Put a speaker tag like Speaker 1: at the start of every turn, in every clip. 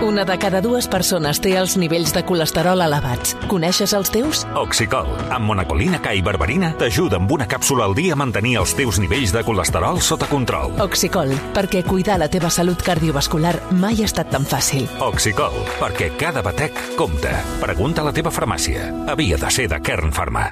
Speaker 1: Una de cada dues persones té els nivells de colesterol elevats. Coneixes els teus?
Speaker 2: Oxicol, amb monacolina K i berberina, t'ajuda amb una càpsula al dia a mantenir els teus nivells de colesterol sota control.
Speaker 1: Oxicol, perquè cuidar la teva salut cardiovascular mai ha estat tan fàcil.
Speaker 2: Oxicol, perquè cada batec compta. Pregunta a la teva farmàcia. Havia de ser de Kern Pharma.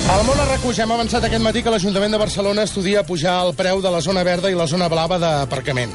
Speaker 3: Al Món RAC1 ja hem avançat aquest matí que l'Ajuntament de Barcelona estudia pujar el preu de la zona verda i la zona blava d'aparcament.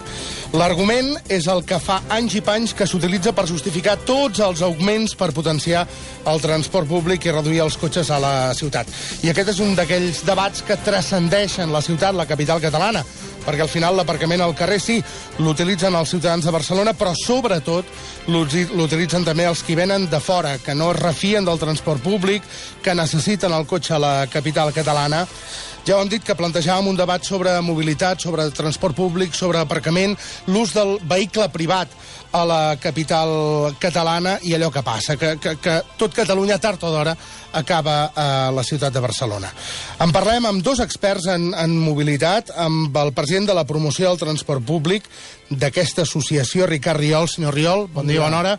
Speaker 3: L'argument és el que fa anys i panys que s'utilitza per justificar tots els augments per potenciar el transport públic i reduir els cotxes a la ciutat. I aquest és un d'aquells debats que transcendeixen la ciutat, la capital catalana, perquè al final l'aparcament al carrer sí, l'utilitzen els ciutadans de Barcelona, però sobretot l'utilitzen també els que venen de fora, que no es refien del transport públic, que necessiten el cotxe a la capital catalana. Ja ho hem dit que plantejàvem un debat sobre mobilitat, sobre transport públic, sobre aparcament, l'ús del vehicle privat a la capital catalana i allò que passa, que tot Catalunya tard o d'hora acaba a la ciutat de Barcelona. En parlem amb dos experts en mobilitat, amb el president de la promoció del transport públic d'aquesta associació, Ricard Riol. Senyor Riol, bon dia, bona hora.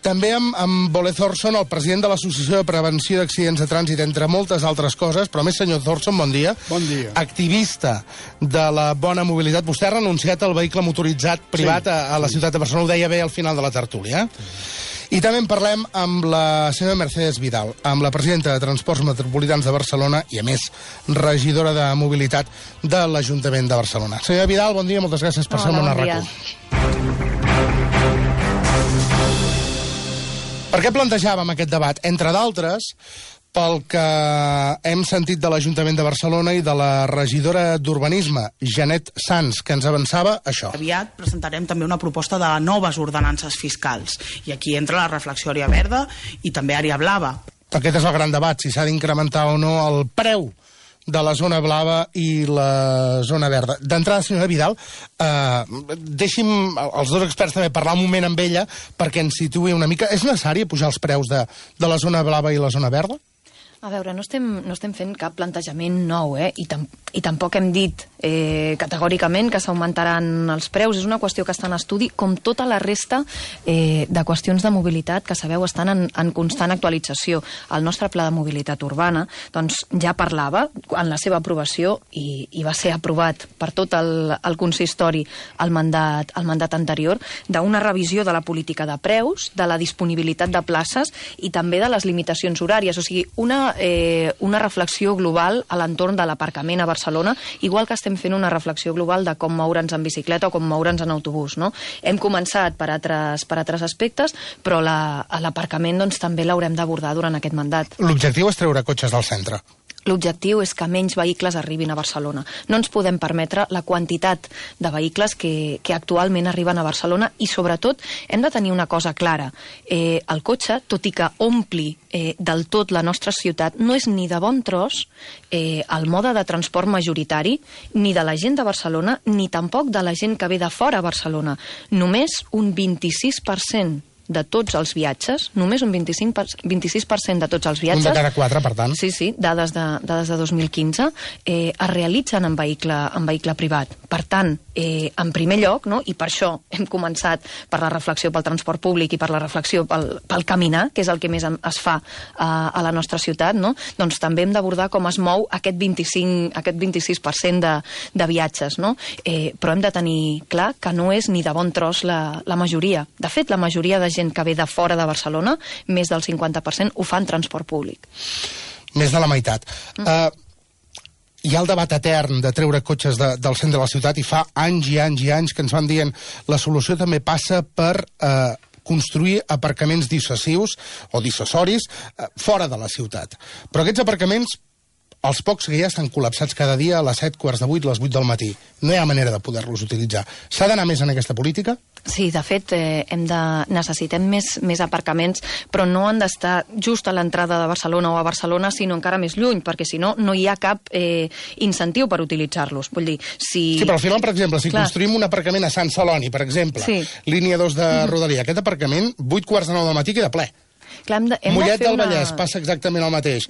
Speaker 3: També amb Ole Thorson, el president de l'Associació de Prevenció d'Accidents de Trànsit, entre moltes altres coses, però més, senyor Thorson, bon dia.
Speaker 4: Bon dia.
Speaker 3: Activista de la bona mobilitat. Vostè ha renunciat al vehicle motoritzat privat a la ciutat de Barcelona, ho deia bé al final de la tertúlia. I també en parlem amb la senyora Mercedes Vidal, amb la presidenta de Transports Metropolitans de Barcelona i, a més, regidora de Mobilitat de l'Ajuntament de Barcelona. Senyora Vidal, bon dia, moltes gràcies per ser al Món RAC1. Per què plantejàvem aquest debat? Entre d'altres, pel que hem sentit de l'Ajuntament de Barcelona i de la regidora d'Urbanisme, Janet Sans, que ens avançava això.
Speaker 5: Aviat presentarem també una proposta de noves ordenances fiscals. I aquí entra la reflexió àrea verda i també àrea blava.
Speaker 3: Aquest és el gran debat, si s'ha d'incrementar o no el preu de la zona blava i la zona verda. D'entrada, senyora Vidal, deixi'm els dos experts també parlar un moment amb ella perquè ens situï una mica. És necessari pujar els preus de la zona blava i la zona verda?
Speaker 6: A veure, no estem fent cap plantejament nou, i tampoc hem dit categòricament que s'augmentaran els preus. És una qüestió que està en estudi, com tota la resta de qüestions de mobilitat que sabeu estan en constant actualització. El nostre pla de mobilitat urbana doncs, ja parlava en la seva aprovació i va ser aprovat per tot el consistori al mandat anterior, d'una revisió de la política de preus, de la disponibilitat de places i també de les limitacions horàries. O sigui, una reflexió global a l'entorn de l'aparcament a Barcelona, igual que estem fent una reflexió global de com moure'ns en bicicleta o com moure'ns en autobús, no? Hem començat per altres aspectes, però l'aparcament doncs, també l'haurem d'abordar durant aquest mandat.
Speaker 3: L'objectiu és treure cotxes del centre.
Speaker 6: L'objectiu és que menys vehicles arribin a Barcelona. No ens podem permetre la quantitat de vehicles que actualment arriben a Barcelona i, sobretot, hem de tenir una cosa clara. El cotxe, tot i que ompli del tot la nostra ciutat, no és ni de bon tros el mode de transport majoritari ni de la gent de Barcelona ni tampoc de la gent que ve de fora a Barcelona. Només un 26% de tots els viatges, només un 26% de tots els viatges...
Speaker 3: Un de cada 4, per tant.
Speaker 6: Sí, dades de 2015, es realitzen en vehicle privat. Per tant, en primer lloc, no? I per això hem començat per la reflexió pel transport públic i per la reflexió pel caminar, que és el que més es fa a la nostra ciutat, no? Doncs també hem d'abordar com es mou aquest 26% de viatges, no? Però hem de tenir clar que no és ni de bon tros la majoria. De fet, la majoria de gent que ve de fora de Barcelona, més del 50%, ho fa en transport públic.
Speaker 3: Més de la meitat. Hi ha el debat etern de treure cotxes del centre de la ciutat i fa anys i anys i anys que ens van dient la solució també passa per construir aparcaments dissuasius o dissuasoris fora de la ciutat. Però aquests aparcaments els pocs que hi ha estan col·lapsats cada dia a les 7, quarts de 8, les 8 del matí. No hi ha manera de poder-los utilitzar. S'ha d'anar més en aquesta política?
Speaker 6: Sí, de fet, necessitem més aparcaments, però no han d'estar just a l'entrada de Barcelona o a Barcelona, sinó encara més lluny, perquè si no, no hi ha cap incentiu per utilitzar-los. Vull dir, si...
Speaker 3: Sí, però al final, per exemple, si construïm un aparcament a Sant Celoni, per exemple, línia 2 de Rodalia, aquest aparcament, 8 quarts de 9 del matí queda ple.
Speaker 6: Clar,
Speaker 3: Mollet del Vallès passa exactament el mateix.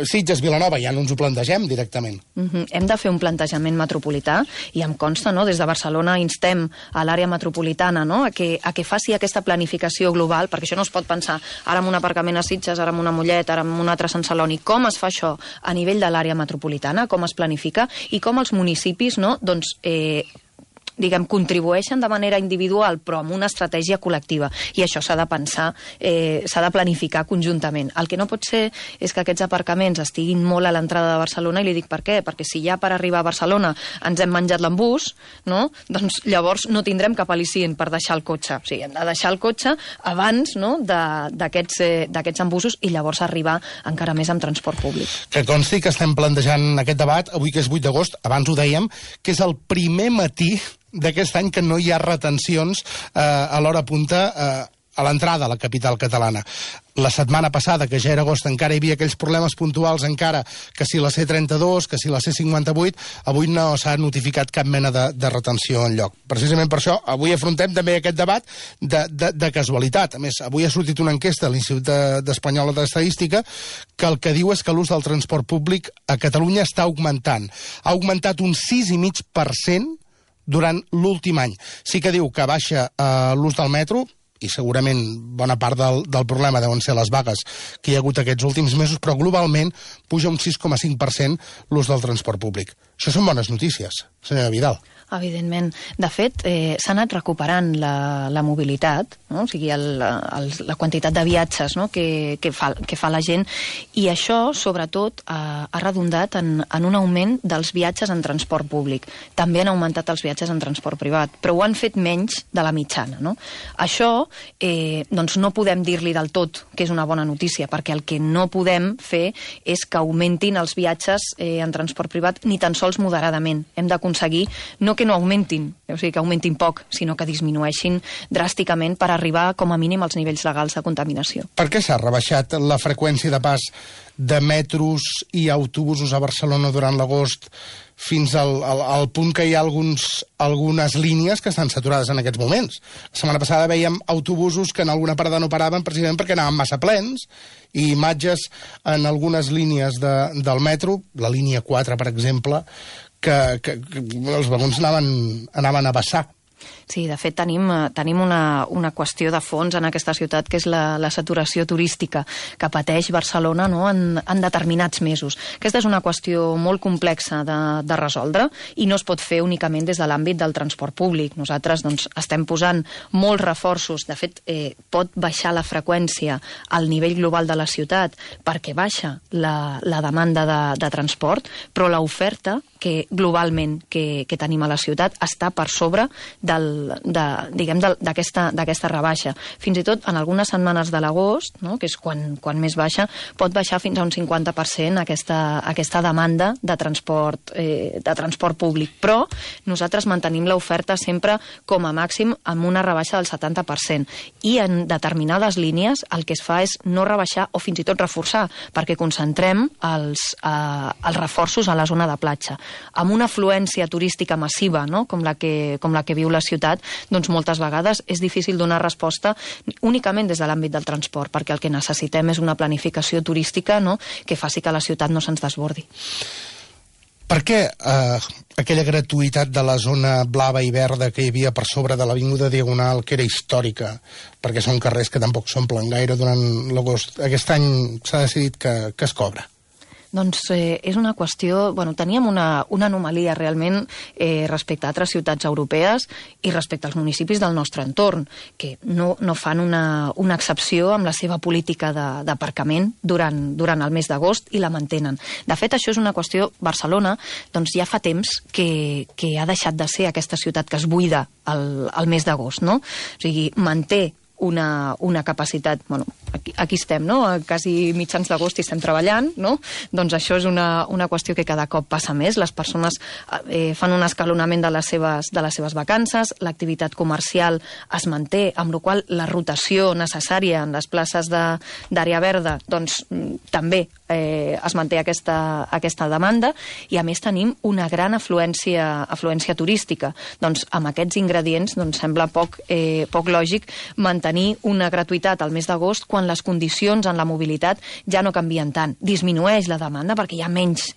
Speaker 3: Sitges, Vilanova, ja no ens ho plantegem directament.
Speaker 6: Hem de fer un plantejament metropolità i em consta, no?, des de Barcelona instem a l'àrea metropolitana, no?, a que faci aquesta planificació global, perquè això no es pot pensar ara en un aparcament a Sitges, ara en una Mollet, ara en un altre Sant Celoni. Com es fa això a nivell de l'àrea metropolitana, com es planifica i com els municipis, no?, doncs diguem, contribueixen de manera individual però amb una estratègia col·lectiva, i això s'ha de pensar, s'ha de planificar conjuntament. El que no pot ser és que aquests aparcaments estiguin molt a l'entrada de Barcelona, i li dic per què, perquè si ja per arribar a Barcelona ens hem menjat l'embús, no?, doncs llavors no tindrem cap al·licient per deixar el cotxe. O sigui, hem de deixar el cotxe abans, no?, d'aquests embussos, i llavors arribar encara més amb transport públic.
Speaker 3: Que consti que estem plantejant aquest debat, avui que és 8 d'agost, abans ho dèiem, que és el primer matí d'aquest any que no hi ha retencions a l'hora punta a l'entrada a la capital catalana. La setmana passada, que ja era agost, encara hi havia aquells problemes puntuals, encara que si la C32, que si la C58, avui no s'ha notificat cap mena de retenció enlloc. Precisament per això, avui afrontem també aquest debat de casualitat. A més, avui ha sortit una enquesta a l'Institut Espanyol d'Estadística que el que diu és que l'ús del transport públic a Catalunya està augmentant. Ha augmentat un 6,5% durant l'últim any. Sí que diu que baixa l'ús del metro, i segurament bona part del problema deuen ser les vagues que hi ha hagut aquests últims mesos, però globalment puja un 6,5% l'ús del transport públic. Això són bones notícies, senyora Vidal.
Speaker 6: Evidentment. De fet, s'ha anat recuperant la mobilitat, no?, o sigui, la quantitat de viatges, no?, que fa la gent, i això, sobretot, ha redundat en un augment dels viatges en transport públic. També han augmentat els viatges en transport privat, però ho han fet menys de la mitjana, no? Això, doncs, no podem dir-li del tot que és una bona notícia, perquè el que no podem fer és que augmentin els viatges en transport privat ni tan sols moderadament. Hem d'aconseguir no que no augmentin, o sigui, que augmentin poc, sinó que disminueixin dràsticament per arribar com a mínim als nivells legals de contaminació.
Speaker 3: Per què s'ha rebaixat la freqüència de pas de metros i autobusos a Barcelona durant l'agost fins al punt que hi ha algunes línies que estan saturades en aquests moments? La setmana passada veiem autobusos que en alguna parada no paraven precisament perquè anaven massa plens, i imatges en algunes línies del metro, la línia 4, per exemple, que els vagons anaven a vessar.
Speaker 6: Sí, de fet tenim una qüestió de fons en aquesta ciutat, que és la saturació turística que pateix Barcelona, no?, en determinats mesos. Aquesta és una qüestió molt complexa de resoldre i no es pot fer únicament des de l'àmbit del transport públic. Nosaltres, doncs, estem posant molts reforços. De fet, pot baixar la freqüència al nivell global de la ciutat perquè baixa la demanda de transport, però l'oferta que globalment que tenim a la ciutat està per sobre d'aquesta rebaixa. Fins i tot en algunes setmanes de l'agost, no?, que és quan més baixa, pot baixar fins a un 50% aquesta demanda de transport públic. Però nosaltres mantenim l'oferta sempre com a màxim amb una rebaixa del 70%. I en determinades línies el que es fa és no rebaixar o fins i tot reforçar, perquè concentrem els reforços a la zona de platja. Amb una afluència turística massiva, no?, com la que viu la ciutat, doncs moltes vegades és difícil donar resposta únicament des de l'àmbit del transport, perquè el que necessitem és una planificació turística, no?, que faci que la ciutat no se'ns desbordi.
Speaker 3: Per què aquella gratuïtat de la zona blava i verda que hi havia per sobre de l'Avinguda Diagonal, que era històrica, perquè són carrers que tampoc s'omplen gaire durant l'agost, aquest any s'ha decidit que es cobra?
Speaker 6: Doncs és una qüestió... Bueno, teníem una anomalia realment respecte a altres ciutats europees i respecte als municipis del nostre entorn, que no fan una excepció amb la seva política d'aparcament durant el mes d'agost i la mantenen. De fet, això és una qüestió... Barcelona doncs ja fa temps que ha deixat de ser aquesta ciutat que es buida al mes d'agost, no? O sigui, manté una capacitat... Bueno, aquí estem, no? Quasi mitjans d'agost i estem treballant, no? Doncs això és una qüestió que cada cop passa més. Les persones fan un escalonament de les seves vacances, l'activitat comercial es manté, amb la qual la rotació necessària en les places d'àrea verda doncs també es manté aquesta demanda, i a més tenim una gran afluència turística. Doncs amb aquests ingredients sembla poc lògic mantenir una gratuïtat al mes d'agost quan les condicions en la mobilitat ja no canvien tant. Disminueix la demanda perquè hi ha menys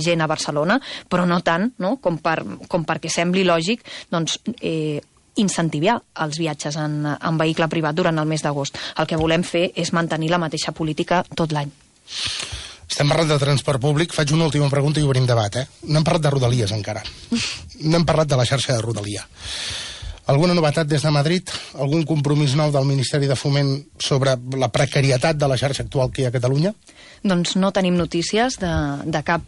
Speaker 6: gent a Barcelona, però no tant, no? Com perquè sembli lògic incentivar els viatges en vehicle privat durant el mes d'agost. El que volem fer és mantenir la mateixa política tot l'any.
Speaker 3: Estem parlant de transport públic. Faig una última pregunta i obrim debat, No hem parlat de Rodalies encara. No hem parlat de la xarxa de Rodalia. Alguna novetat des de Madrid? Algun compromís nou del Ministeri de Foment sobre la precarietat de la xarxa actual que hi ha a Catalunya?
Speaker 6: Doncs no tenim notícies de cap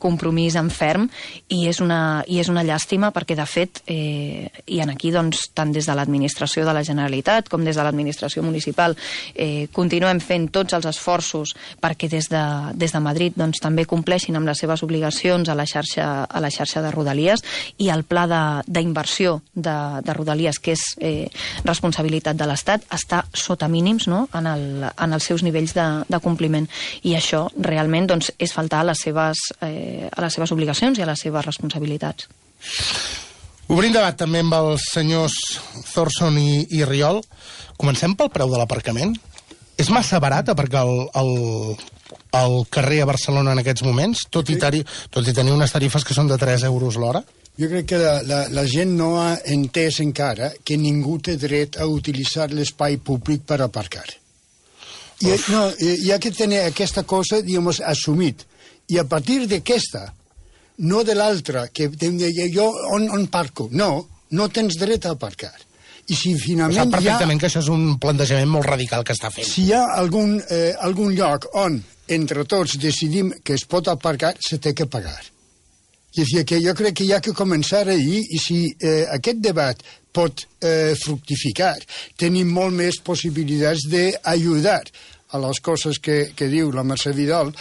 Speaker 6: compromís en ferm, i és una llàstima perquè, de fet, i aquí tant des de l'administració de la Generalitat com des de l'administració municipal continuem fent tots els esforços perquè des de Madrid també compleixin amb les seves obligacions a la xarxa de Rodalies, i el pla d'inversió de Rodalies, que és responsabilitat de l'Estat, està sota mínims, no?, en els seus nivells de compliment. I això realment és faltar a les seves obligacions i a les seves responsabilitats.
Speaker 3: Obrim debat també amb els senyors Thorson i Riol. Comencem pel preu de l'aparcament. És massa barat aparcar al carrer a Barcelona en aquests moments, tot i tenir unes tarifes que són de 3 euros l'hora?
Speaker 4: Jo crec que la gent no ha entès encara que ningú té dret a utilitzar l'espai públic per aparcar. Hi ha que tenir aquesta cosa, assumit. I a partir d'aquesta, no de l'altra, que jo on parco? No tens dret a aparcar. I si finalment
Speaker 3: sap perfectament que això és un plantejament molt radical que està fent.
Speaker 4: Si hi ha algun lloc on entre tots decidim que es pot aparcar, se té que pagar. És a dir, que jo crec que hi ha que començar ahir, i si aquest debat pot fructificar, tenim molt més possibilitats d'ajudar a les coses que diu la Mercè Vidal,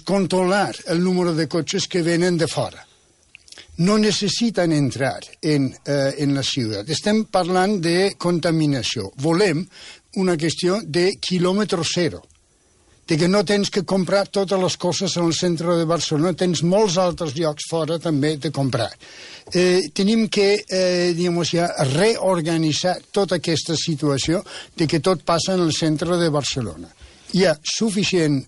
Speaker 4: controlar el número de cotxes que venen de fora. No necessiten entrar en la ciutat. Estem parlant de contaminació. Volem una qüestió de quilòmetre zero, de que no tens que comprar totes les coses en el centre de Barcelona, tens molts altres llocs fora també de comprar. Tenim que reorganitzar tota aquesta situació de que tot passa en el centre de Barcelona. Hi ha suficient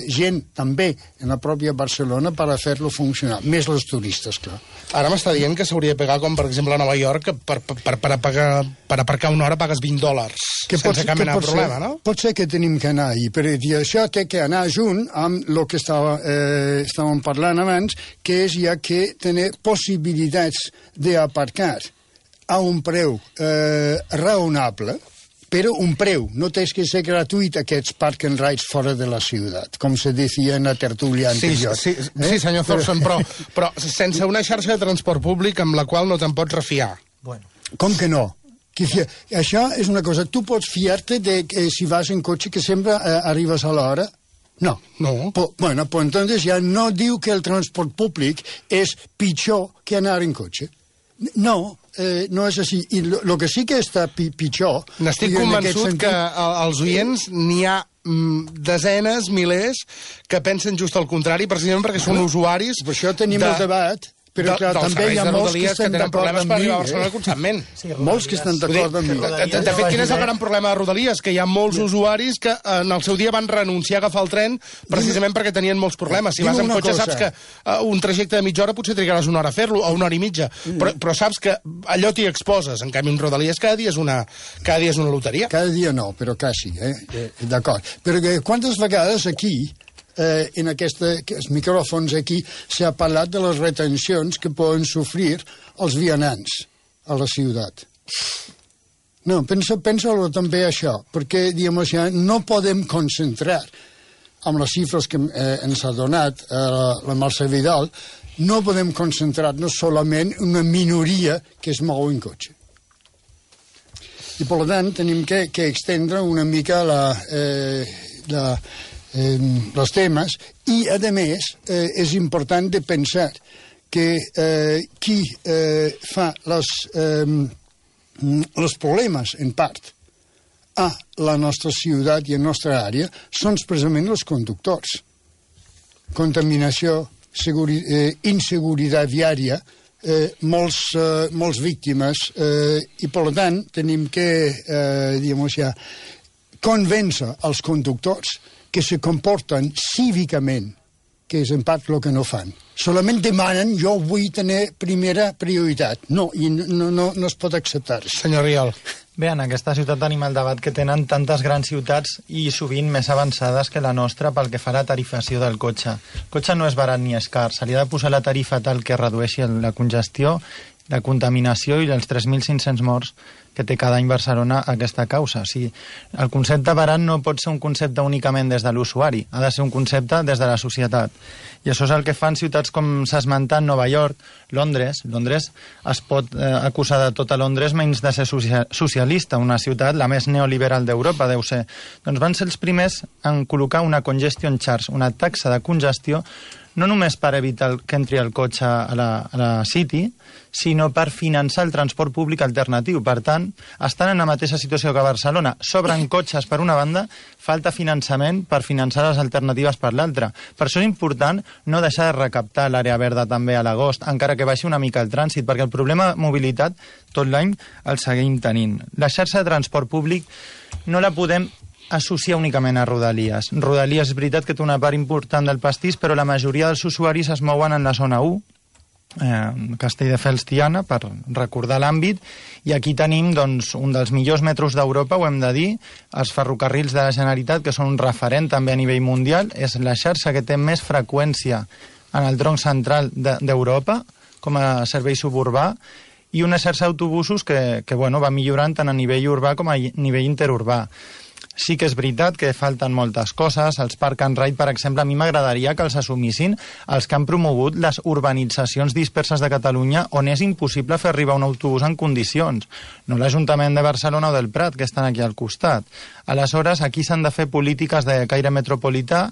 Speaker 4: gent també en la pròpia Barcelona per a fer-lo funcionar, més els turistes, clar.
Speaker 3: Ara m'està dient que s'hauria de pagar, com per exemple a Nova York, que per aparcar una hora pagues $20, sense cap mena de problema, no?
Speaker 4: Pot ser que tenim que anar ahir, però això té que anar junt amb el que estàvem parlant abans, que és ja que tenir possibilitats d'aparcar a un preu raonable, però un preu, no tens que ser gratuït aquests park and rides fora de la ciutat, com se deia en la tertúlia anterior.
Speaker 3: Sí, senyor Thorson, però sense una xarxa de transport públic amb la qual no te'n pots refiar.
Speaker 4: Com que no? Això és una cosa, tu pots fiar-te de que si vas en cotxe que sempre arribes a l'hora? No. Bueno, pues entonces ja no diu que el transport públic és pitjor que anar en cotxe. No és així. I el que sí que està pitjor...
Speaker 3: N'estic convençut que als oients n'hi ha desenes, milers, que pensen just el contrari, precisament perquè són usuaris...
Speaker 4: Per això tenim el debat... Però clar, també hi ha molts que estan d'acord amb mi. Molts que estan d'acord amb mi.
Speaker 3: De fet, quin és el gran problema de Rodalies? Que hi ha molts usuaris que en el seu dia van renunciar a agafar el tren precisament perquè tenien molts problemes. Si vas amb cotxe saps que un trajecte de mitja hora potser trigaràs una hora a fer-lo, o una hora i mitja, però saps que allò t'hi exposes. En canvi, en Rodalies cada dia és una loteria.
Speaker 4: Cada dia no, però quasi, d'acord. Però quantes vegades aquí... en aquests micròfons aquí s'ha parlat de les retencions que poden sofrir els vianants a la ciutat. No, pensa-ho també això, perquè no podem concentrar amb les xifres que ens ha donat la Mercè Vidal, no podem concentrar-nos solament en una minoria que es mou en cotxe. I, per tant, tenim que extendre una mica els temes i, a més, és important de pensar que qui fa els problemes, en part, a la nostra ciutat i a la nostra àrea són precisament els conductors. Contaminació, inseguretat viària, molts víctimes, i per tant tenim que convèncer els conductors que se comporten cívicament, que és en part el que no fan. Solament demanen, jo vull tenir primera prioritat. No, i no es pot acceptar.
Speaker 3: Senyor Rial.
Speaker 7: Bé, en aquesta ciutat tenim el debat que tenen tantes grans ciutats i sovint més avançades que la nostra pel que fa a la tarifació del cotxe. El cotxe no és barat ni és car, se li ha de posar la tarifa tal que redueixi la congestió, la contaminació i els 3.500 morts que té cada any Barcelona a aquesta causa. O sigui, el concepte barat no pot ser un concepte únicament des de l'usuari, ha de ser un concepte des de la societat. I això és el que fan ciutats com s'ha esmentat, Nova York, Londres. Londres es pot acusar de tot a Londres menys de ser socialista, una ciutat la més neoliberal d'Europa, deu ser. Doncs van ser els primers en col·locar una congestion charge, una taxa de congestió, no només per evitar que entri el cotxe a la City, sinó per finançar el transport públic alternatiu. Per tant, estan en la mateixa situació que Barcelona. Sobren cotxes per una banda, falta finançament per finançar les alternatives per l'altra. Per això és important no deixar de recaptar l'àrea verda també a l'agost, encara que baixi una mica el trànsit, perquè el problema de mobilitat tot l'any el seguim tenint. La xarxa de transport públic no la podem associar únicament a Rodalies. Rodalies és veritat que té una part important del pastís, però la majoria dels usuaris es mouen en la zona 1, Castelldefels-Tiana, per recordar l'àmbit, i aquí tenim doncs, un dels millors metros d'Europa, ho hem de dir, els ferrocarrils de la Generalitat, que són un referent també a nivell mundial, és la xarxa que té més freqüència en el tronc central d'Europa, com a servei suburbà, i una xarxa d'autobusos que va millorant tant a nivell urbà com a nivell interurbà. Sí que és veritat que falten moltes coses. Els Park and Ride, per exemple, a mi m'agradaria que els assumissin els que han promogut les urbanitzacions disperses de Catalunya on és impossible fer arribar un autobús en condicions. No l'Ajuntament de Barcelona o del Prat, que estan aquí al costat. Aleshores, aquí s'han de fer polítiques de caire metropolità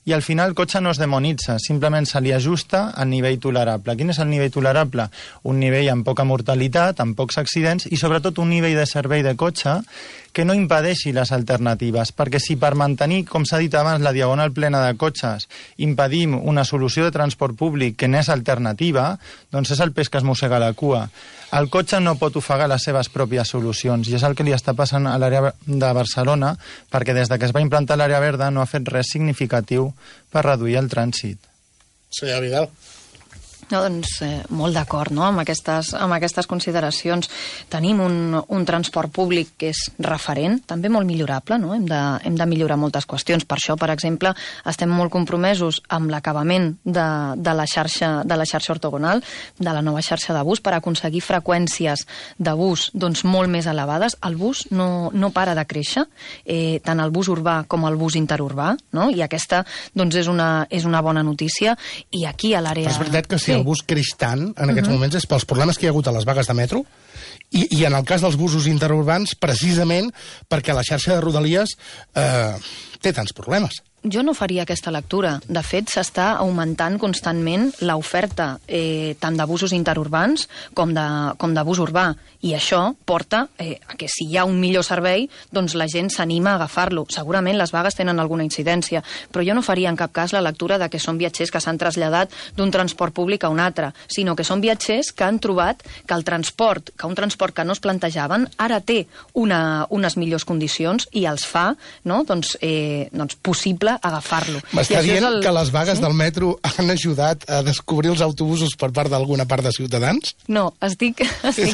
Speaker 7: i al final el cotxe no es demonitza, simplement se li ajusta al nivell tolerable. Quin és el nivell tolerable? Un nivell amb poca mortalitat, amb pocs accidents i sobretot un nivell de servei de cotxe que no impedeixi les alternatives, perquè si per mantenir, com s'ha dit abans, la diagonal plena de cotxes, impedim una solució de transport públic que n'és alternativa, doncs és el peix que es mossega la cua. El cotxe no pot ofegar les seves pròpies solucions i és el que li està passant a l'àrea de Barcelona perquè des que es va implantar l'àrea verda no ha fet res significatiu per reduir el trànsit.
Speaker 3: Senyor Vidal.
Speaker 6: No, doncs molt d'acord, no?, amb aquestes consideracions. Tenim un transport públic que és referent, també molt millorable, no? Hem de millorar moltes qüestions. Per això, per exemple, estem molt compromesos amb l'acabament de la xarxa ortogonal, de la nova xarxa de bus, per aconseguir freqüències de bus doncs, molt més elevades. El bus no para de créixer, tant el bus urbà com el bus interurbà, no? I aquesta doncs, és una bona notícia. I aquí a l'àrea...
Speaker 3: Però és veritat que si el bus creix tant en aquests moments és pels problemes que hi ha hagut a les vagues de metro i en el cas dels busos interurbans precisament perquè la xarxa de Rodalies té tants problemes.
Speaker 6: Jo no faria aquesta lectura. De fet, s'està augmentant constantment l'oferta tant de busos interurbans com de bus urbà. I això porta a que si hi ha un millor servei, doncs la gent s'anima a agafar-lo. Segurament les vagues tenen alguna incidència, però jo no faria en cap cas la lectura de que són viatgers que s'han traslladat d'un transport públic a un altre, sinó que són viatgers que han trobat que un transport que no es plantejaven ara té unes millors condicions i els fa doncs possible agafar-lo.
Speaker 3: M'està dient que les vagues del metro han ajudat a descobrir els autobusos per part d'alguna part de Ciutadans?
Speaker 6: No, estic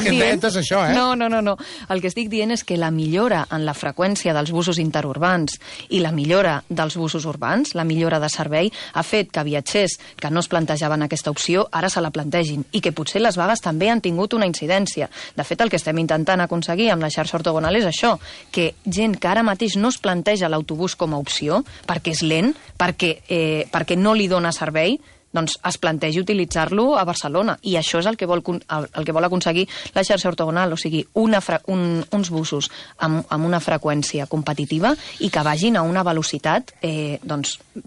Speaker 6: dient...
Speaker 3: És això,
Speaker 6: No. El que estic dient és que la millora en la freqüència dels busos interurbans i la millora dels busos urbans, la millora de servei, ha fet que viatgers que no es plantejaven aquesta opció ara se la plantegin i que potser les vagues també han tingut una incidència. De fet, el que estem intentant aconseguir amb la xarxa ortogonal és això, que gent que ara mateix no es planteja l'autobús com a opció perquè és lent, perquè no li dona servei, doncs es plantegi utilitzar-lo a Barcelona, i això és el que vol aconseguir la xarxa ortogonal, o sigui, uns busos amb una freqüència competitiva i que vagin a una velocitat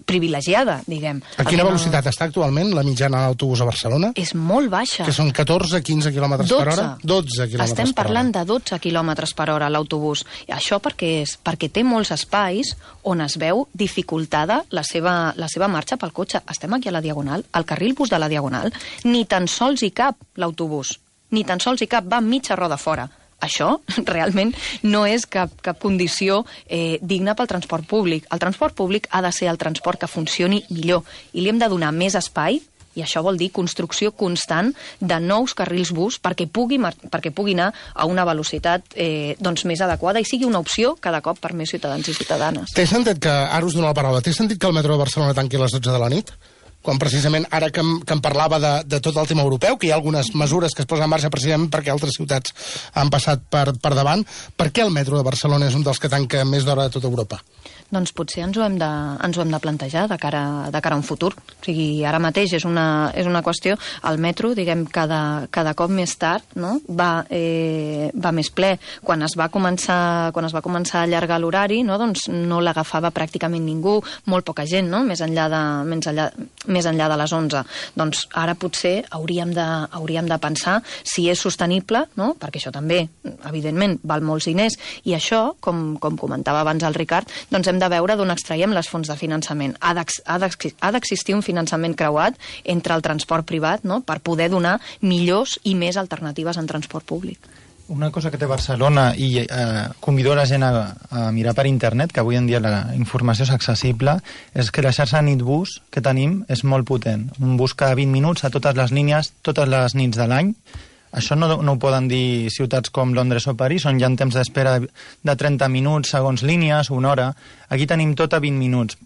Speaker 6: privilegiada, diguem.
Speaker 3: A quina velocitat està actualment la mitjana d'autobús a Barcelona?
Speaker 6: És molt baixa.
Speaker 3: Que són 14-15 km per hora? 12 km per hora.
Speaker 6: Estem parlant de 12 km per hora l'autobús. Això perquè té molts espais on es veu dificultada la seva marxa pel cotxe. Estem aquí a la Diagonal, al carril bus de la Diagonal, ni tan sols hi cap l'autobús, ni tan sols hi cap, va mitja roda fora. Això realment no és cap condició digna pel transport públic. El transport públic ha de ser el transport que funcioni millor i li hem de donar més espai, i això vol dir construcció constant de nous carrils bus perquè pugui anar a una velocitat més adequada i sigui una opció cada cop per més ciutadans i ciutadanes.
Speaker 3: Té sentit que, ara us dono la paraula, té sentit que el metro de Barcelona tanqui a les 12 de la nit? Quan precisament, ara que em parlava de tot el tema europeu, que hi ha algunes mesures que es posen en marxa precisament perquè altres ciutats han passat per davant, per què el metro de Barcelona és un dels que tanca més d'hora de tota Europa?
Speaker 6: Doncs potser ens ho hem de plantejar de cara a un futur. O sigui, ara mateix és una qüestió, el metro, diguem, cada cop més tard, no? va més ple. Quan es va començar a allargar l'horari, no? Doncs no l'agafava pràcticament ningú, molt poca gent, no? Més enllà de les 11. Doncs ara potser hauríem de pensar si és sostenible, no? Perquè això també, evidentment, val molts diners, i això, com comentava abans el Ricard, doncs hem de veure d'on extraiem les fonts de finançament. Ha d'existir un finançament creuat entre el transport privat, no? Per poder donar millors i més alternatives en transport públic.
Speaker 7: Una cosa que té Barcelona, i convido la gent a mirar per internet, que avui en dia la informació és accessible, és que la xarxa Nitbus que tenim és molt potent. Un bus cada 20 minuts a totes les línies, totes les nits de l'any. Això no ho poden dir ciutats com Londres o París, on hi ha temps d'espera de 30 minuts segons línies, una hora. Aquí tenim tot a 20 minuts.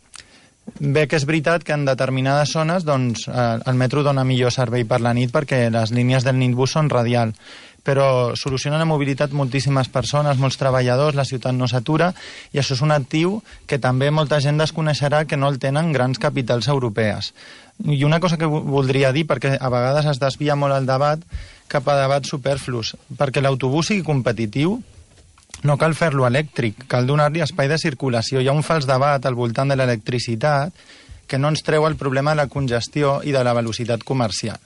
Speaker 7: Bé que és veritat que en determinades zones doncs, el metro dona millor servei per la nit perquè les línies del Nitbus són radial, però soluciona la mobilitat moltíssimes persones, molts treballadors, la ciutat no s'atura, i això és un actiu que també molta gent desconeixerà que no el tenen grans capitals europees. I una cosa que voldria dir, perquè a vegades es desvia molt el debat cap a debats superflus, perquè l'autobús sigui competitiu no cal fer-lo elèctric, cal donar-li espai de circulació. Hi ha un fals debat al voltant de l'electricitat que no ens treu el problema de la congestió i de la velocitat comercial.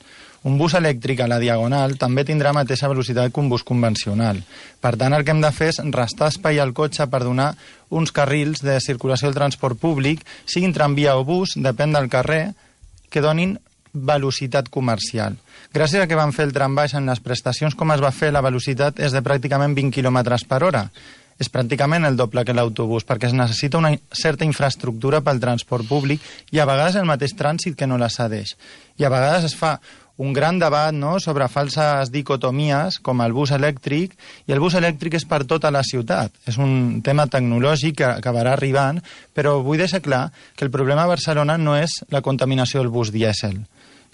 Speaker 7: Un bus elèctric a la Diagonal també tindrà la mateixa velocitat que un bus convencional. Per tant, el que hem de fer és restar espai al cotxe per donar uns carrils de circulació del transport públic, siguin tramvia o bus, depèn del carrer, que donin velocitat comercial. Gràcies a que van fer el trambaix en les prestacions com es va fer, la velocitat és de pràcticament 20 km per hora. És pràcticament el doble que l'autobús, perquè es necessita una certa infraestructura pel transport públic i a vegades el mateix trànsit que no la cedeix. I a vegades es fa un gran debat, no?, sobre falses dicotomies com el bus elèctric, i el bus elèctric és per tota la ciutat. És un tema tecnològic que acabarà arribant, però vull deixar clar que el problema a Barcelona no és la contaminació del bus dièsel.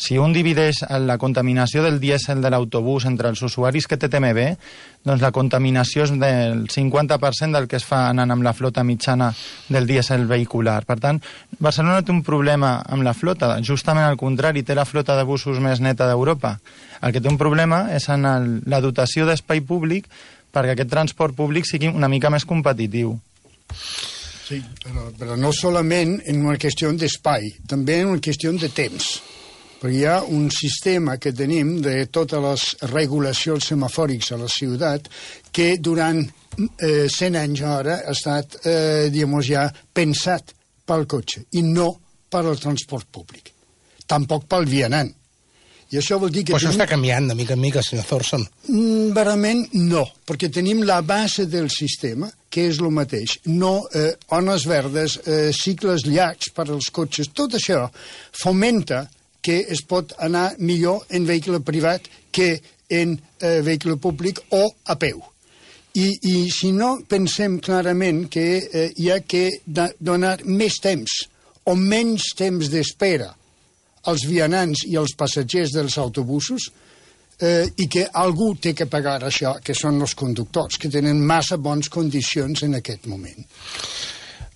Speaker 7: Si un divideix la contaminació del dièsel de l'autobús entre els usuaris que té TMB, doncs la contaminació és del 50% del que es fa anant amb la flota mitjana del dièsel vehicular. Per tant, Barcelona té un problema amb la flota, justament al contrari, té la flota de busos més neta d'Europa. El que té un problema és en la dotació d'espai públic perquè aquest transport públic sigui una mica més competitiu.
Speaker 4: Sí, però no solament en una qüestió d'espai, també en una qüestió de temps. Perquè hi ha un sistema que tenim de totes les regulacions semafòrics a la ciutat que durant 100 anys ara ha estat, ja pensat pel cotxe i no per al transport públic. Tampoc pel vianant. I això vol dir que...
Speaker 3: Però això està canviant de mica en mica, senyor Thorson.
Speaker 4: Verament no, perquè tenim la base del sistema, que és el mateix. No, ones verdes, cicles llargs per als cotxes, tot això fomenta que es pot anar millor en vehicle privat que en vehicle públic o a peu. I si no pensem clarament que hi ha que donar més temps o menys temps d'espera als vianants i als passatgers dels autobusos i que algú té que pagar això, que són els conductors, que tenen massa bones condicions en aquest moment.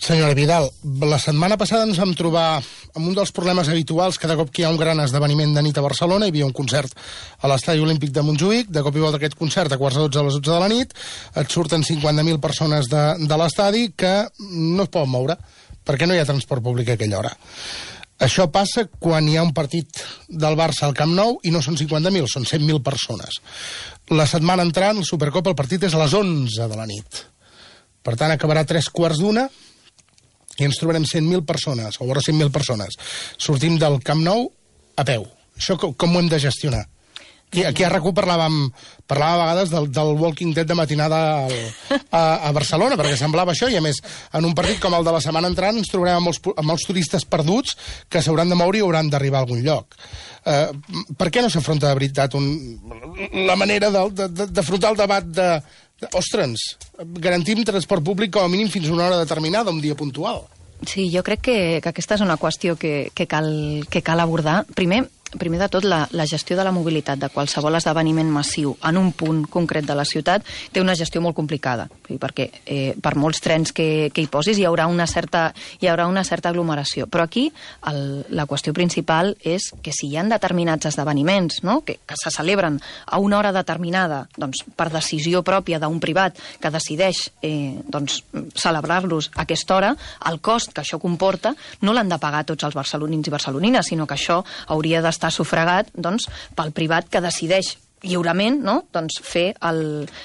Speaker 3: Senyora Vidal, la setmana passada ens vam trobar amb un dels problemes habituals. Cada cop que hi ha un gran esdeveniment de nit a Barcelona, hi havia un concert a l'Estadi Olímpic de Montjuïc, de cop i volta aquest concert a quarts de 12 a les 12 de la nit, et surten 50.000 persones de l'estadi que no es poden moure, perquè no hi ha transport públic a aquella hora. Això passa quan hi ha un partit del Barça al Camp Nou i no són 50.000, són 100.000 persones. La setmana entrant, el Supercop, el partit és a les 11 de la nit. Per tant, acabarà a 3:15 i ens trobarem 100.000 persones, o vora 100.000 persones. Sortim del Camp Nou a peu. Això com ho hem de gestionar? Aquí a RAC1 parlàvem a vegades del Walking Dead de matinada a Barcelona, perquè semblava això, i a més, en un partit com el de la setmana entrant ens trobarem amb molts turistes perduts que s'hauran de moure i hauran d'arribar a algun lloc. Per què no s'afronta de veritat la manera d'afrontar el debat de ostres, garantim transport públic com a mínim fins a una hora determinada, un dia puntual?
Speaker 6: Sí, jo crec que aquesta és una qüestió que cal abordar. Primer de tot, la gestió de la mobilitat de qualsevol esdeveniment massiu en un punt concret de la ciutat té una gestió molt complicada, perquè per molts trens que hi posis hi haurà una certa aglomeració. Però aquí la qüestió principal és que si hi ha determinats esdeveniments, no?, que se celebren a una hora determinada, doncs, per decisió pròpia d'un privat que decideix celebrar-los a aquesta hora, el cost que això comporta no l'han de pagar tots els barcelonins i barcelonines, sinó que això hauria d'estar sufragat pel privat que decideix lliurement, no?,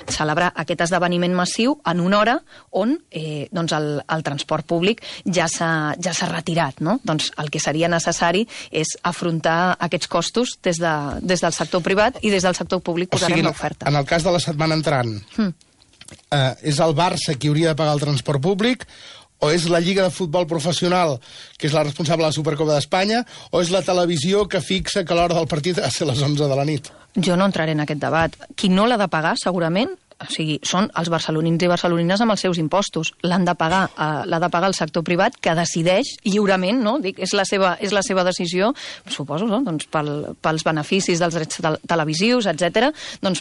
Speaker 6: celebrar aquest esdeveniment massiu en una hora on el transport públic ja s'ha retirat, no? Doncs el que seria necessari és afrontar aquests costos des del sector privat i des del sector públic posarem l'oferta.
Speaker 3: En el cas de la setmana entrant, és el Barça qui hauria de pagar el transport públic, o és la Lliga de Futbol Professional, que és la responsable de la Supercopa d'Espanya, o és la televisió que fixa que l'hora del partit ha de ser a les 11 de la nit?
Speaker 6: Jo no entraré en aquest debat. Qui no l'ha de pagar, segurament, són els barcelonins i barcelonines amb els seus impostos. L'ha de pagar el sector privat, que decideix lliurement, no? És la seva decisió, suposo, no?, pels beneficis dels drets televisius, etc.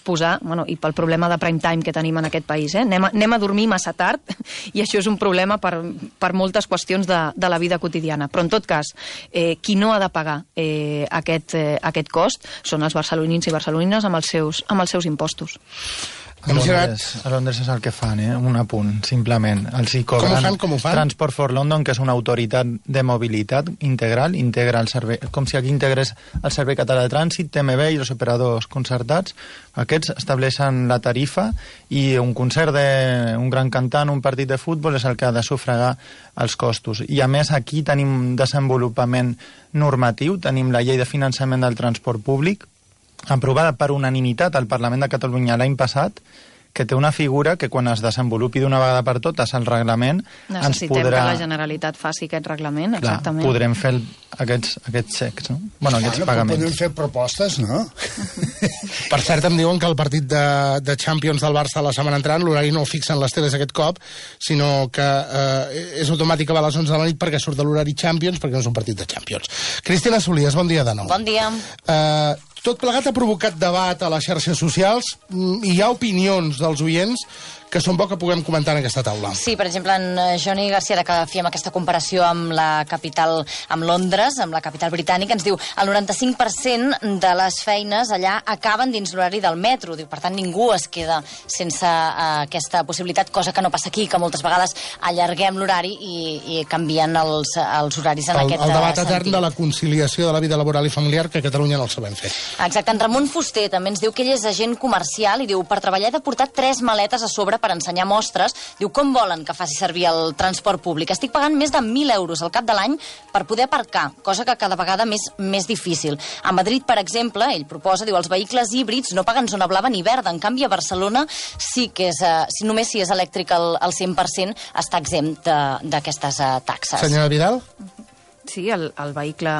Speaker 6: Posar, i pel problema de prime time que tenim en aquest país. Anem a dormir massa tard, i això és un problema per moltes qüestions de la vida quotidiana. Però, en tot cas, qui no ha de pagar aquest cost són els barcelonins i barcelonines amb els seus impostos.
Speaker 7: A Londres és el que fan, un apunt, simplement. Els hi cobren
Speaker 3: com ho fan?
Speaker 7: Transport for London, que és una autoritat de mobilitat integral, integra el servei, com si aquí integrés el Servei Català de Trànsit, TMB i els operadors concertats. Aquests estableixen la tarifa i un concert d'un gran cantant, un partit de futbol, és el que ha de sufragar els costos. I a més aquí tenim desenvolupament normatiu, tenim la llei de finançament del transport públic, aprovada per unanimitat al Parlament de Catalunya l'any passat, que té una figura que quan es desenvolupi d'una vegada per totes el reglament
Speaker 6: necessitem que la Generalitat faci aquest reglament, exactament.
Speaker 7: Podrem fer aquests xecs, no? Aquests pagaments.
Speaker 4: Podem fer propostes, no?
Speaker 3: Per cert, em diuen que el partit de Champions del Barça la setmana entrant, l'horari no el fixen les teles aquest cop, sinó que és automàtic que va a les 11 de la nit perquè surt de l'horari Champions, perquè no és un partit de Champions. Cristina Solies, bon dia de nou.
Speaker 8: Bon dia.
Speaker 3: Tot plegat ha provocat debat a les xarxes socials i hi ha opinions dels oients que són bo que puguem comentar en aquesta taula.
Speaker 8: Sí, per exemple, en Johnny Garcia, que fèiem aquesta comparació amb la capital, amb Londres, amb la capital britànica, ens diu el 95% de les feines allà acaben dins l'horari del metro. Diu, per tant, ningú es queda sense aquesta possibilitat, cosa que no passa aquí, que moltes vegades allarguem l'horari i canvien els horaris en aquest sentit.
Speaker 3: El debat etern de la conciliació de la vida laboral i familiar, que a Catalunya no el sabem fer.
Speaker 8: Exacte. En Ramon Fuster també ens diu que ell és agent comercial i diu, per treballar he de portar 3 maletes a sobre per ensenyar mostres. Diu, com volen que faci servir el transport públic? Estic pagant més de 1.000 euros al cap de l'any per poder aparcar, cosa que cada vegada més difícil. A Madrid, per exemple, ell proposa, diu, els vehicles híbrids no paguen zona blava ni verda. En canvi, a Barcelona sí que és, només si és elèctric al 100% està exempt d'aquestes taxes.
Speaker 3: Senyora Vidal?
Speaker 6: Sí, el vehicle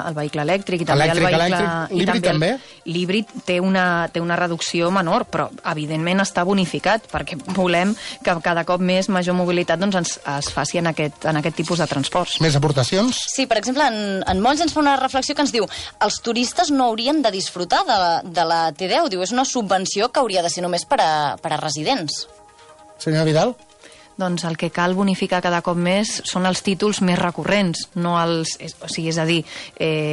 Speaker 6: elèctric i també el vehicle...
Speaker 3: L'híbrid també?
Speaker 6: L'híbrid té una reducció menor, però evidentment està bonificat, perquè volem que cada cop més major mobilitat es faci en aquest tipus de transports.
Speaker 3: Més aportacions?
Speaker 8: Sí, per exemple, en Molls ens fa una reflexió que ens diu els turistes no haurien de disfrutar de la T10, diu, és una subvenció que hauria de ser només per a residents.
Speaker 3: Senyora Vidal?
Speaker 6: Doncs el que cal bonificar cada cop més són els títols més recurrents, no els, és a dir,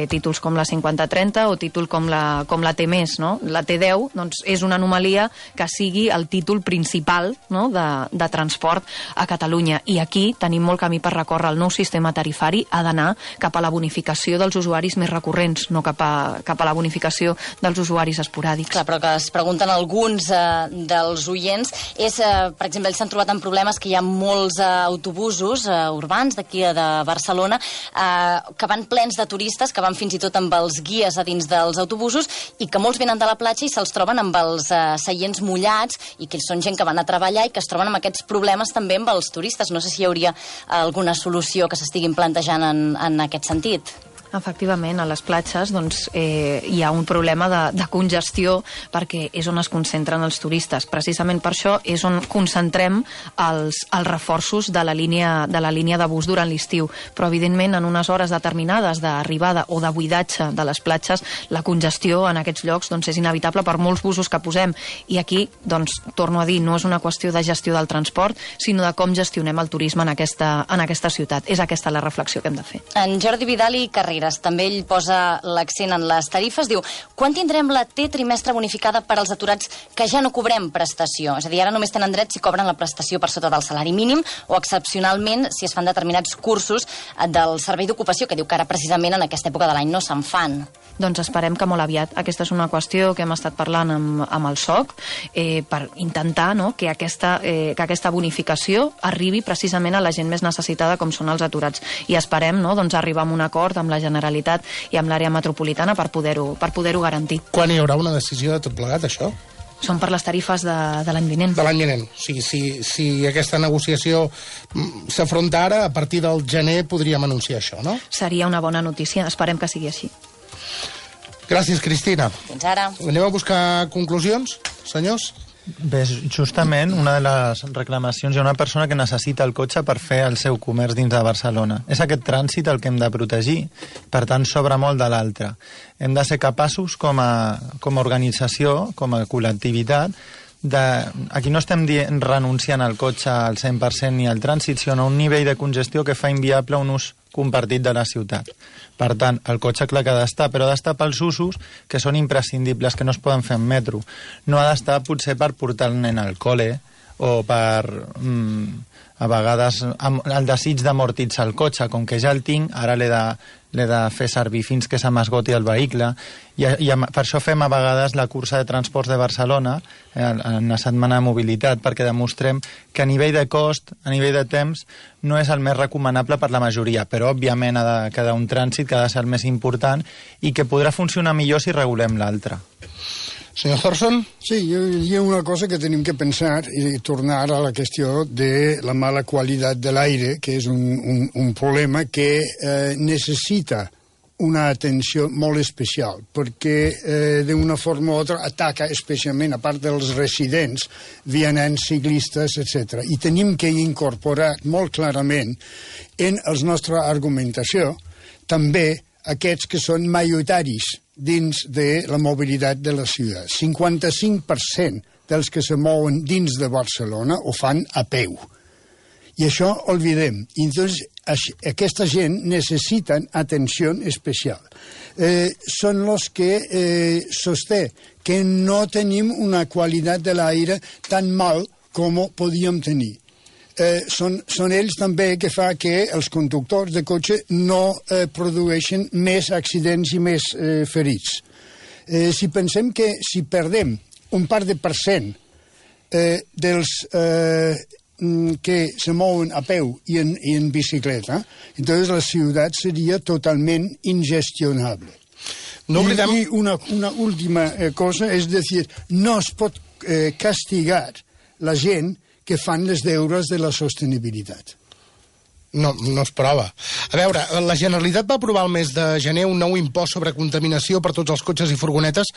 Speaker 6: títols com la 50-30 o títol com la T+, no? La T10 doncs, és una anomalia que sigui el títol principal, no? de transport a Catalunya. I aquí tenim molt camí per recórrer. El nou sistema tarifari ha d'anar cap a la bonificació dels usuaris més recurrents, no cap a la bonificació dels usuaris esporàdics.
Speaker 8: Clar, però que es pregunten alguns dels oients és, per exemple, ells s'han trobat amb problemes que hi ha molts autobusos urbans d'aquí de Barcelona que van plens de turistes, que van fins i tot amb els guies a dins dels autobusos i que molts venen de la platja i se'ls troben amb els seients mullats i que són gent que van a treballar i que es troben amb aquests problemes també amb els turistes. No sé si hi hauria alguna solució que s'estiguin plantejant en aquest sentit.
Speaker 6: Efectivament, a les platges doncs, hi ha un problema de congestió perquè és on es concentren els turistes. Precisament per això és on concentrem els reforços de la línia de bus durant l'estiu. Però, evidentment, en unes hores determinades d'arribada o de buidatge de les platges, la congestió en aquests llocs doncs, és inevitable per molts busos que posem. I aquí, doncs, torno a dir, no és una qüestió de gestió del transport, sinó de com gestionem el turisme en aquesta ciutat. És aquesta la reflexió que hem de fer.
Speaker 8: En Jordi Vidal i Carreras també ell posa l'accent en les tarifes, diu, quan tindrem la T trimestre bonificada per als aturats que ja no cobrem prestació? És a dir, ara només tenen dret si cobren la prestació per sota del salari mínim o excepcionalment si es fan determinats cursos del servei d'ocupació, que diu que ara precisament en aquesta època de l'any no se'n fan.
Speaker 6: Doncs esperem que molt aviat. Aquesta és una qüestió que hem estat parlant amb el SOC per intentar que aquesta bonificació arribi precisament a la gent més necessitada com són els aturats. I esperem arribar a un acord amb la Generalitat i amb l'àrea metropolitana per poder-ho garantir.
Speaker 3: Quan hi haurà una decisió de tot plegat, això?
Speaker 6: Són per les tarifes de l'any vinent.
Speaker 3: De l'any vinent. O sigui, si aquesta negociació s'afronta ara, a partir del gener podríem anunciar això, no?
Speaker 6: Seria una bona notícia. Esperem que sigui així.
Speaker 3: Gràcies, Cristina.
Speaker 8: Fins ara.
Speaker 3: Anem a buscar conclusions, senyors?
Speaker 7: Bé, justament una de les reclamacions, hi ha una persona que necessita el cotxe per fer el seu comerç dins de Barcelona. És aquest trànsit el que hem de protegir, per tant sobra molt de l'altre. Hem de ser capaços com a organització, com a col·lectivitat, aquí no estem renunciant al cotxe al 100% ni al trànsit, sinó a un nivell de congestió que fa inviable un ús compartit de la ciutat. Per tant, el cotxe clar que ha d'estar, però ha d'estar pels usos que són imprescindibles, que no es poden fer en metro. No ha d'estar potser per portar el nen al col·le o per, a vegades, el desig d'amortitzar el cotxe. Com que ja el tinc, ara l'he de fer servir fins que se m'esgoti el vehicle. I per això fem a vegades la cursa de transports de Barcelona, en la setmana de mobilitat, perquè demostrem que a nivell de cost, a nivell de temps, no és el més recomanable per la majoria, però òbviament ha de quedar un trànsit que ha de ser el més important i que podrà funcionar millor si regulem l'altre.
Speaker 3: Senyor Thorson?
Speaker 4: Sí, hi ha una cosa que tenim que pensar i tornar a la qüestió de la mala qualitat de l'aire, que és un problema que necessita una atenció molt especial, perquè d'una forma o altra ataca especialment, a part dels residents, vianants, ciclistes, etc. I tenim que incorporar molt clarament en la nostra argumentació també aquests que són majoritaris dins de la mobilitat de la ciutat. 55% dels que se mouen dins de Barcelona ho fan a peu. I això oblidem. I entonces, aquesta gent necessiten atenció especial. Són els que sosté que no tenim una qualitat de l'aire tan mal com podíem tenir. Són ells també que fa que els conductors de cotxe no produeixen més accidents i més ferits. Si pensem que si perdem un par de % dels que se mouen a peu i en bicicleta, entonces la ciutat seria totalment ingestionable.
Speaker 3: No oblidem...
Speaker 4: I una última cosa, és a dir, no es pot castigar la gent que fan les deures de la sostenibilitat.
Speaker 3: No es prova. A veure, la Generalitat va aprovar el mes de gener un nou impost sobre contaminació per tots els cotxes i furgonetes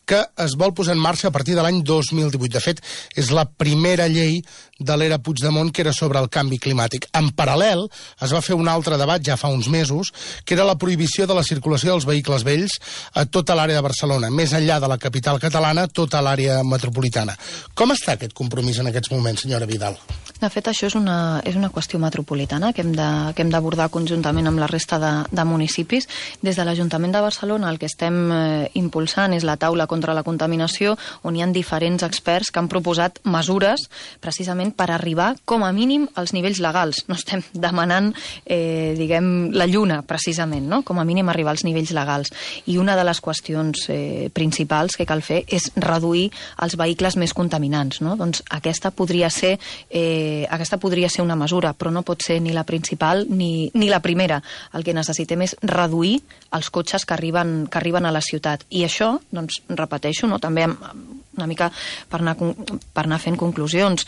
Speaker 3: que es vol posar en marxa a partir de l'any 2018. De fet, és la primera llei de l'era Puigdemont, que era sobre el canvi climàtic. En paral·lel, es va fer un altre debat ja fa uns mesos, que era la prohibició de la circulació dels vehicles vells a tota l'àrea de Barcelona, més enllà de la capital catalana, tota l'àrea metropolitana. Com està aquest compromís en aquests moments, senyora Vidal?
Speaker 6: De fet, això és una qüestió metropolitana que hem d'abordar conjuntament amb la resta de municipis. Des de l'Ajuntament de Barcelona el que estem impulsant és la taula contra la contaminació, on hi ha diferents experts que han proposat mesures precisament per arribar com a mínim als nivells legals. No estem demanant, la lluna, precisament, no? Com a mínim arribar als nivells legals. I una de les qüestions principals que cal fer és reduir els vehicles més contaminants, no? Doncs aquesta podria ser una mesura, però no pot ser ni la principal ni la primera. El que necessitem és reduir els cotxes que arriben a la ciutat. I això, doncs, repeteixo, no? També una mica per anar fent conclusions.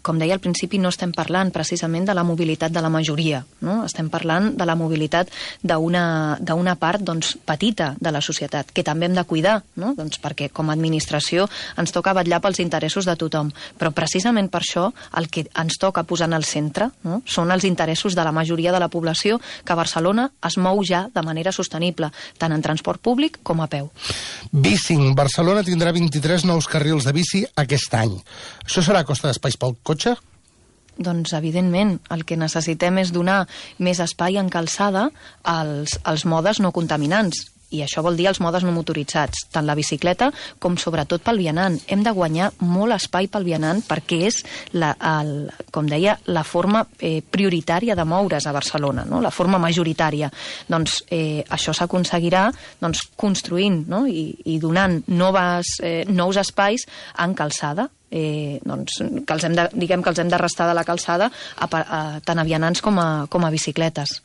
Speaker 6: Com deia al principi, no estem parlant precisament de la mobilitat de la majoria, no? Estem parlant de la mobilitat d'una part, doncs, petita de la societat, que també hem de cuidar, no? Doncs perquè com a administració ens toca vetllar pels interessos de tothom, però precisament per això el que ens toca posar en el centre, no? Són els interessos de la majoria de la població, que a Barcelona es mou ja de manera sostenible, tant en transport públic com a peu.
Speaker 3: Bicing. Barcelona tindrà 23 nous carrils de bici aquest any. Això serà a costa d'espais pel cotxe?
Speaker 6: Doncs, evidentment, el que necessitem és donar més espai en calçada als modes no contaminants. I això vol dir els modes no motoritzats, tant la bicicleta com sobretot pel vianant. Hem de guanyar molt espai pel vianant perquè és, com deia, la forma prioritària de moure's a Barcelona, no? La forma majoritària. Doncs això s'aconseguirà construint, no? I donant nous espais en calçada. Doncs, que els hem de restar de la calçada tant a vianants com a bicicletes.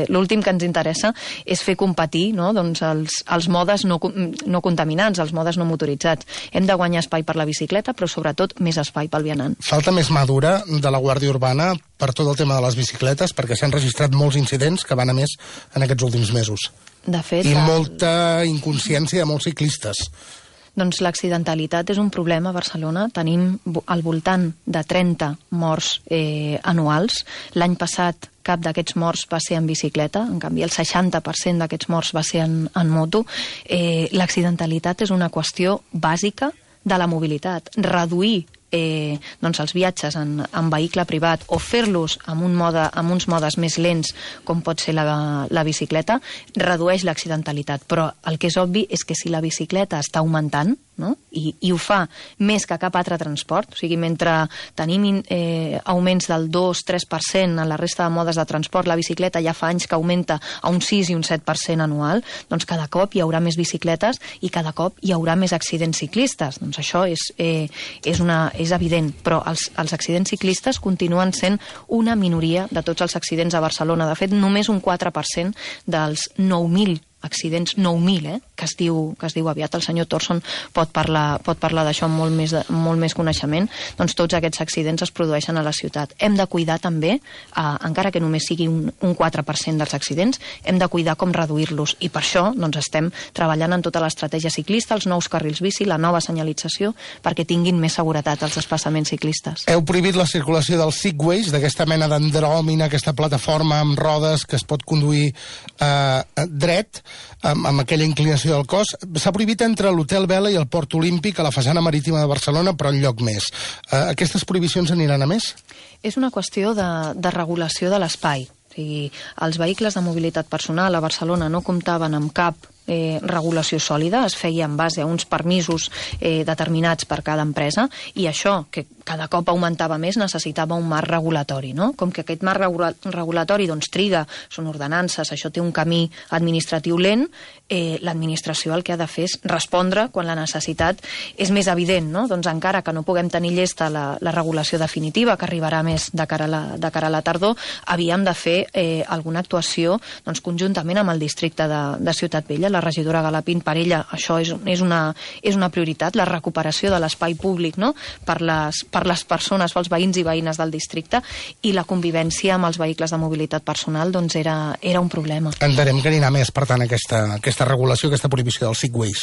Speaker 6: L'últim que ens interessa és fer competir, no? Doncs els modes no contaminants, els modes no motoritzats. Hem de guanyar espai per la bicicleta, però sobretot més espai pel vianant.
Speaker 3: Falta més mà dura de la Guàrdia Urbana per tot el tema de les bicicletes, perquè s'han registrat molts incidents que van a més en aquests últims mesos.
Speaker 6: De fet,
Speaker 3: i molta inconsciència de molts ciclistes.
Speaker 6: Doncs l'accidentalitat és un problema a Barcelona. Tenim al voltant de 30 morts anuals. L'any passat cap d'aquests morts va ser en bicicleta, en canvi el 60% d'aquests morts va ser en moto. L'accidentalitat és una qüestió bàsica de la mobilitat. Reduir els viatges en vehicle privat o fer-los amb uns modes més lents, com pot ser la bicicleta, redueix l'accidentalitat. Però el que és obvi és que si la bicicleta està augmentant, no? I ho fa més que cap altre transport, o sigui, mentre tenim augments del 2-3% en la resta de modes de transport, la bicicleta ja fa anys que augmenta a un 6 i un 7% anual, doncs cada cop hi haurà més bicicletes i cada cop hi haurà més accidents ciclistes. Doncs això és evident, però els accidents ciclistes continuen sent una minoria de tots els accidents a Barcelona. De fet, només un 4% dels 9.000 accidents, 9.000, que es diu aviat. El senyor Torson pot parlar d'això amb molt més coneixement. Doncs tots aquests accidents es produeixen a la ciutat. Hem de cuidar també, encara que només sigui un 4% dels accidents, hem de cuidar com reduir-los. I per això estem treballant en tota l'estratègia ciclista, els nous carrils bici, la nova senyalització, perquè tinguin més seguretat els desplaçaments ciclistes.
Speaker 3: Heu prohibit la circulació dels Segways, d'aquesta mena d'andròmina, aquesta plataforma amb rodes que es pot conduir dret, amb aquella inclinació del cos. S'ha prohibit entre l'Hotel Vela i el Port Olímpic a la façana marítima de Barcelona, però en lloc més. Aquestes prohibicions aniran a més?
Speaker 6: És una qüestió de regulació de l'espai. O sigui, els vehicles de mobilitat personal a Barcelona no comptaven amb cap regulació sòlida, es feia en base a uns permisos determinats per cada empresa, i això, que cada cop augmentava més, necessitava un marc regulatori, no? Com que aquest marc regulatori triga, són ordenances, això té un camí administratiu lent, l'administració el que ha de fer és respondre quan la necessitat és més evident, no? Doncs encara que no puguem tenir llesta la regulació definitiva, que arribarà més de cara a la tardor, havíem de fer alguna actuació conjuntament amb el districte de Ciutat Vella. La regidora Galapín, per ella això és una prioritat, la recuperació de l'espai públic, no? per les persones, pels veïns i veïnes del districte, i la convivència amb els vehicles de mobilitat personal era un problema.
Speaker 3: Entenem que anirà més, per tant, aquesta regulació, aquesta prohibició dels Segways.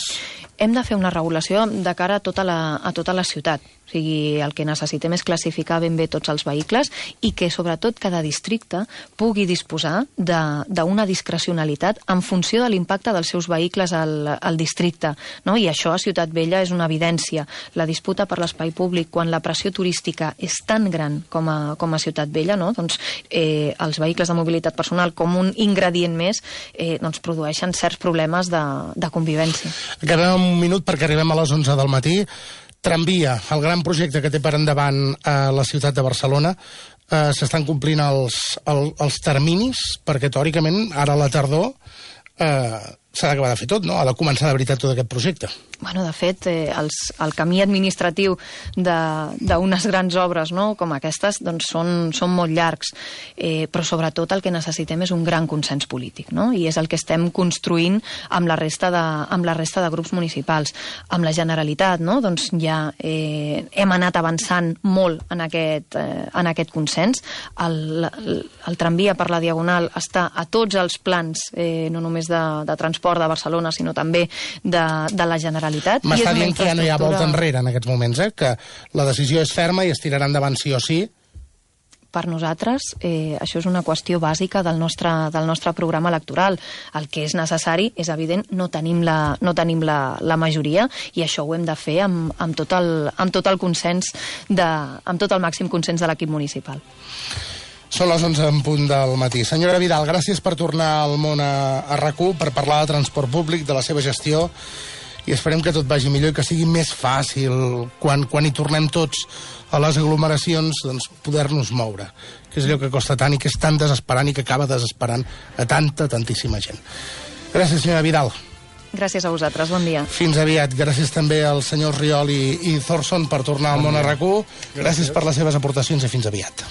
Speaker 6: Hem de fer una regulació de cara a tota la ciutat. O sigui, el que necessitem és classificar ben bé tots els vehicles i que, sobretot, cada districte pugui disposar d'una discrecionalitat en funció de l'impacte dels seus vehicles al districte, no? I això a Ciutat Vella és una evidència. La disputa per l'espai públic, quan la pressió turística és tan gran com a Ciutat Vella, no? Doncs els vehicles de mobilitat personal, com un ingredient més, doncs produeixen certs problemes de convivència.
Speaker 3: Queda un minut perquè arribem a les 11 del matí. Tramvia, el gran projecte que té per endavant la ciutat de Barcelona, s'estan complint els terminis, perquè teòricament ara a la tardor s'ha d'acabar de fer tot, no? Ha de començar de veritat tot aquest projecte.
Speaker 6: Bueno, de fet, el camí administratiu d'unes grans obres, no?, com aquestes, doncs són molt llargs, però sobretot el que necessitem és un gran consens polític, no? I és el que estem construint amb la resta de grups municipals. Amb la Generalitat, no?, doncs ja hem anat avançant molt en aquest consens. El tramvia per la Diagonal està a tots els plans, no només de transport de Barcelona, sinó també de la Generalitat.
Speaker 3: M'està dient que ja no hi ha volta enrere en aquests moments, que la decisió és ferma i es tirarà endavant sí o sí?
Speaker 6: Per nosaltres, això és una qüestió bàsica del nostre programa electoral. El que és necessari, és evident, no tenim la majoria, i això ho hem de fer amb tot el consens, amb tot el màxim consens de l'equip municipal.
Speaker 3: Són les 11 en punt del matí. Senyora Vidal, gràcies per tornar al món a RAC1, per parlar de transport públic, de la seva gestió, i esperem que tot vagi millor i que sigui més fàcil quan hi tornem tots a les aglomeracions, doncs poder-nos moure, que és allò que costa tant i que és tan desesperant i que acaba desesperant a tantíssima gent. Gràcies, senyora Vidal.
Speaker 6: Gràcies a vosaltres, bon dia.
Speaker 3: Fins aviat. Gràcies també als senyors Riol i Thorson per tornar al món a RAC1. Gràcies per les seves aportacions i fins aviat.